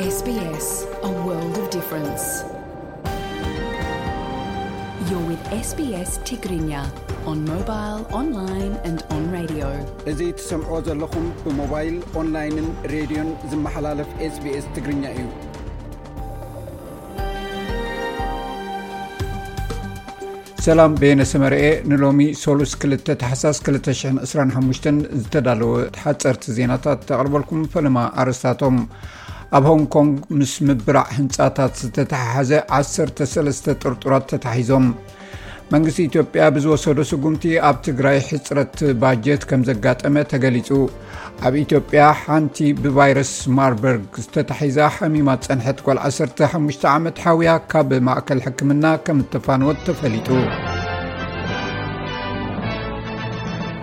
S B S, a world of difference. You're with S B S Tigrinya on mobile, online and on radio. እዚ ትሰምዕዎ ዘለኹም ብሞባይል፣ ኦንላይንን ሬድዮን ዝመሓላለፍ S B S ትግርኛ እዩ። ሰላም፣ በየነ ሰመርኤ ንሎሚ ሶሉስ ክልተ ታሕሳስ ክልተ ሽሕን ዕስራን ሓሙሽተን ዝተዳለወ ሓጸርቲ ዜናታት ተቕርበልኩም። ፈለማ ኣርእስታቶም። ኣብ ሆንግ ኮንግ ምስ ምብራዕ ህንጻታት ዝተተሓሓዘ ዓሰርተ ሰለስተ ጥርጡራት ተታሒዞም። መንግስቲ ኢትዮጵያ ብዝወሰዶ ስጉምቲ ኣብ ትግራይ ሕጽረት ባጀት ከም ዘጋጠመ ተገሊጹ። ኣብ ኢትዮጵያ ሓንቲ ብቫይረስ ማርበርግ ዝተታሒዛ ሓሚማ ጸንሐት ጓል ዓሰርተ ሓሙሽተ ዓመት ሓውያ ካብ ማእከል ሕክምና ከም እተፋነወት ተፈሊጡ።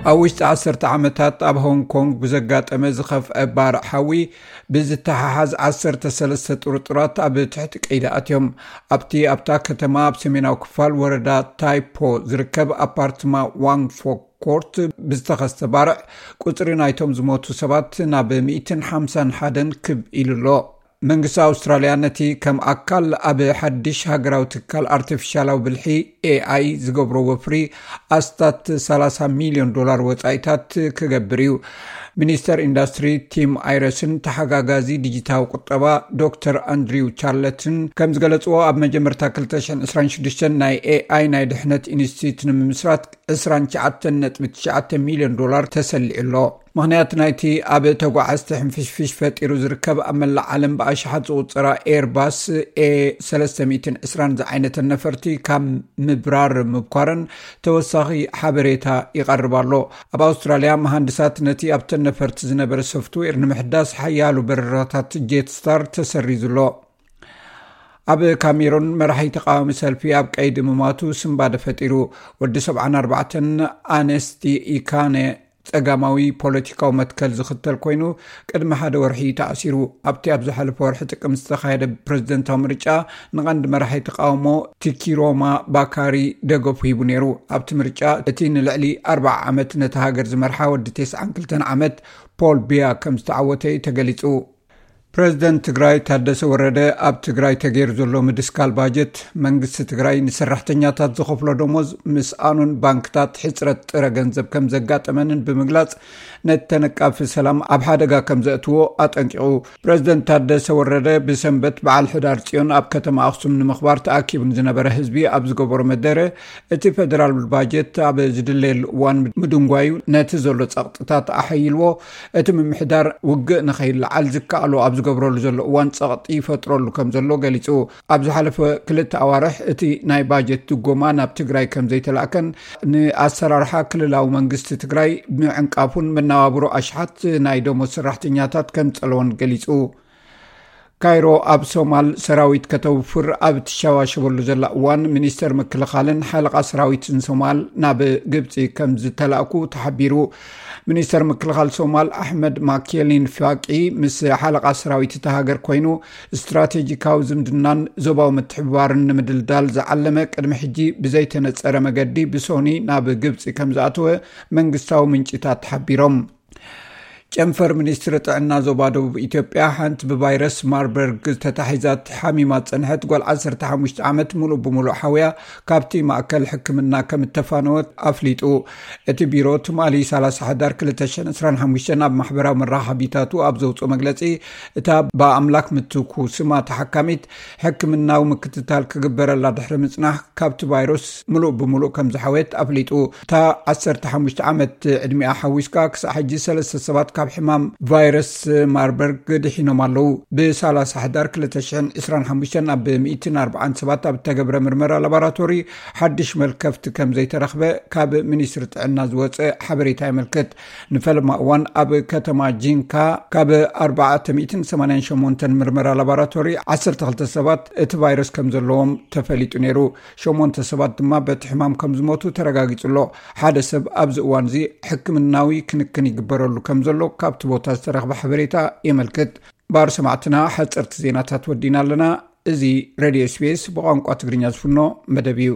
ኣብ ውሽጢ ዓሰርተ ዓመታት ኣብ ሆንግ ኮንግ ብዘጋጠመ ዝኸፍአ ባርዕ ሓዊ ብዝተሓሓዝ ዓሰርተ ሰለስተ ጥርጡራት ኣብ ትሕቲ ቀይዲ ኣትዮም። ኣብቲ ኣብታ ከተማ ኣብ ሰሜናዊ ክፋል ወረዳ ታይፖ ዝርከብ ኣፓርትማ ዋንግ ፎክ ኮርት ብዝተኸስተ ባርዕ ቁጽሪ ናይቶም ዝሞቱ ሰባት ናብ ሚእትን ሓምሳን ሓደን ክብ ኢሉ ኣሎ። መንግስቲ ኣውስትራልያ ነቲ ከም ኣካል ኣብ ሓድሽ ሃገራዊ ትካል ኣርቲፊሻላዊ ብልሒ ኤኣይ ዝገብሮ ወፍሪ ኣስታት ሰላሳ ሚልዮን ዶላር ወጻኢታት ክገብር እዩ። ሚኒስተር ኢንዱስትሪ ቲም ኣይረስን ተሓጋጋዚ ዲጂታዊ ቁጠባ ዶክተር ኣንድሪው ቻርለትን ከም ዝገለጽዎ፣ ኣብ መጀመርታ ክልተ ሽሕን ዕስራን ሽዱሽተን ናይ ኤኣይ ናይ ድሕነት ኢንስቲትዩት ንምምስራት ዕስራን ትሽዓተን ነጥቢ ትሽዓተ ሚልዮን ዶላር ተሰሊዑ ኣሎ። ምኽንያት ናይቲ ኣብ ተጓዓዝቲ ሕንፍሽፍሽ ፈጢሩ ዝርከብ ኣብ መላእ ዓለም ብኣሽሓት ዝቑጸራ ኤርባስ ኤ ሰለስተ ሚእትን ዕስራን ዝዓይነተን ነፈርቲ ካብ ምብራር ምብኳረን ተወሳኺ ሓበሬታ ይቐርብ ኣሎ። ኣብ ኣውስትራልያ፣ መሃንድሳት ነቲ ኣብተን ነፈርቲ ዝነበረ ሶፍትዌር ንምሕዳስ ሓያሎ በረራታት ጄት ስታር ተሰሪዙ ኣሎ። ኣብ ካሜሩን መራሒ ተቃዋሚ ሰልፊ ኣብ ቀይዲ ምማቱ ስንባደ ፈጢሩ። ወዲ ሰብዓን ኣርባዕተን ኣነስቲ ኢካነ ጸጋማዊ ፖለቲካዊ መትከል ዝኽተል ኮይኑ፣ ቅድሚ ሓደ ወርሒ ተኣሲሩ። ኣብቲ ኣብ ዝሓለፈ ወርሒ ጥቅምቲ ዝተኻየደ ፕሬዝደንታዊ ምርጫ ንቐንዲ መራሒ ተቃውሞ ቲኪሮማ ባካሪ ደገፉ ሂቡ ነይሩ። ኣብቲ ምርጫ እቲ ንልዕሊ ኣርብዓ ዓመት ነታ ሃገር ዝመርሓ ወዲ ተስዓን ክልተን ዓመት ፖል ቢያ ከም ዝተዓወተ እዩ ተገሊጹ። ፕሬዝደንት ትግራይ ታደሰ ወረደ ኣብ ትግራይ ተገይሩ ዘሎ ምድስካል ባጀት፣ መንግስቲ ትግራይ ንሰራሕተኛታት ዝኸፍሎ ደሞዝ ምስኣኑን ባንክታት ሕፅረት ጥረ ገንዘብ ከም ዘጋጠመንን ብምግላፅ፣ ነቲ ተነቃፊ ሰላም ኣብ ሓደጋ ከም ዘእትዎ ኣጠንቂቑ። ፕሬዝደንት ታደሰ ወረደ ብሰንበት በዓል ሕዳር ፅዮን ኣብ ከተማ ኣኽሱም ንምኽባር ተኣኪቡ ንዝነበረ ህዝቢ ኣብ ዝገበሮ መደረ፣ እቲ ፌደራል ባጀት ኣብ ዝድለየሉ እዋን ምድንጓዩ ነቲ ዘሎ ጸቕጥታት ኣሐይልዎ፣ እቲ ምምሕዳር ውግእ ንኸይለዓል ዝከኣሎ ኣብ ዝገብረሉ ዘሎ እዋን ጸቕጢ ይፈጥረሉ ከም ዘሎ ገሊጹ። ኣብ ዝሓለፈ ክልተ ኣዋርሕ እቲ ናይ ባጀት ድጎማ ናብ ትግራይ ከም ዘይተላእከን ንኣሰራርሓ ክልላዊ መንግስቲ ትግራይ ምዕንቃፉን መነባብሮ ኣሽሓት ናይ ደሞዝ ሰራሕተኛታት ከም ጸለወን ገሊጹ። ካይሮ ኣብ ሶማል ሰራዊት ከተውፍር ኣብ ትሸዋሸበሉ ዘላ እዋን፣ ሚኒስተር ምክልኻልን ሓለቓ ሰራዊትን ሶማል ናብ ግብጺ ከም ዝተላእኩ ተሓቢሩ። ሚኒስተር ምክልኻል ሶማል ኣሕመድ ማኬሊን ፋቂ ምስ ሓለቓ ሰራዊት እታ ሃገር ኮይኑ፣ ስትራቴጂካዊ ዝምድናን ዞባዊ ምትሕብባርን ንምድልዳል ዝዓለመ ቅድሚ ሕጂ ብዘይተነጸረ መገዲ ብሶኒ ናብ ግብጺ ከም ዝኣተወ መንግስታዊ ምንጭታት ተሓቢሮም። ጨንፈር ሚኒስትሪ ጥዕና ዞባ ደቡብ ኢትዮጵያ፣ ሓንቲ ብቫይረስ ማርበርግ ተታሒዛ ሓሚማ ዝጸንሐት ጓል ዓሰርተ ሓሙሽተ ዓመት፣ ሙሉእ ብሙሉእ ሓውያ ካብቲ ማእከል ሕክምና ከም እተፋነወት ኣፍሊጡ። እቲ ቢሮ ትማሊ ሰላሳ ሕዳር ክልተ ሽሕን ዕስራን ሓሙሽተን ኣብ ማሕበራዊ መራኸቢታቱ ኣብ ዘውፅኦ መግለጺ፣ እታ ብኣምላክ ምትኩ ስማ ተሓካሚት፣ ሕክምናዊ ምክትታል ክግበረላ ድሕሪ ምጽናሕ፣ ካብቲ ቫይረስ ምሉእ ብምሉእ ከም ዝሓወየት ኣፍሊጡ። እታ ዓሰርተ ሓሙሽተ ዓመት ዕድሚኣ ሓዊስካ፣ ክሳዕ ሕጂ ሰለስተ ሰባት ካብ ሕማም ቫይረስ ማርበርግ ድሒኖም ኣለዉ። ብሰላሳ ሕዳር ክልተ ሽሕን ዕስራን ሓሙሽተን ኣብ ሚእትን ኣርባዓን ሰባት ኣብ እተገብረ ምርመራ ላቦራቶሪ፣ ሓድሽ መልከፍቲ ከም ዘይተረኽበ ካብ ሚኒስትሪ ጥዕና ዝወጸ ሓበሬታ የመልክት። ንፈለማ እዋን ኣብ ከተማ ጂንካ ካብ ኣርባዕተ ሚእትን ሰማንያን ሸሞንተን ምርመራ ላቦራቶሪ፣ ዓሰርተ ክልተ ሰባት እቲ ቫይረስ ከም ዘለዎም ተፈሊጡ ነይሩ። ሸሞንተ ሰባት ድማ በቲ ሕማም ከም ዝሞቱ ተረጋጊጹ ኣሎ። ሓደ ሰብ ኣብዚ እዋን እዚ ሕክምናዊ ክንክን ይግበረሉ ከም ዘሎ ካብቲ ቦታ ዝተረኽበ ሓበሬታ የመልክት። ባር ሰማዕትና፣ ሓጸርቲ ዜናታት ወዲና ኣለና። እዚ ሬድዮ ኤስ ቢ ኤስ ብቋንቋ ትግርኛ ዝፍኖ መደብ እዩ።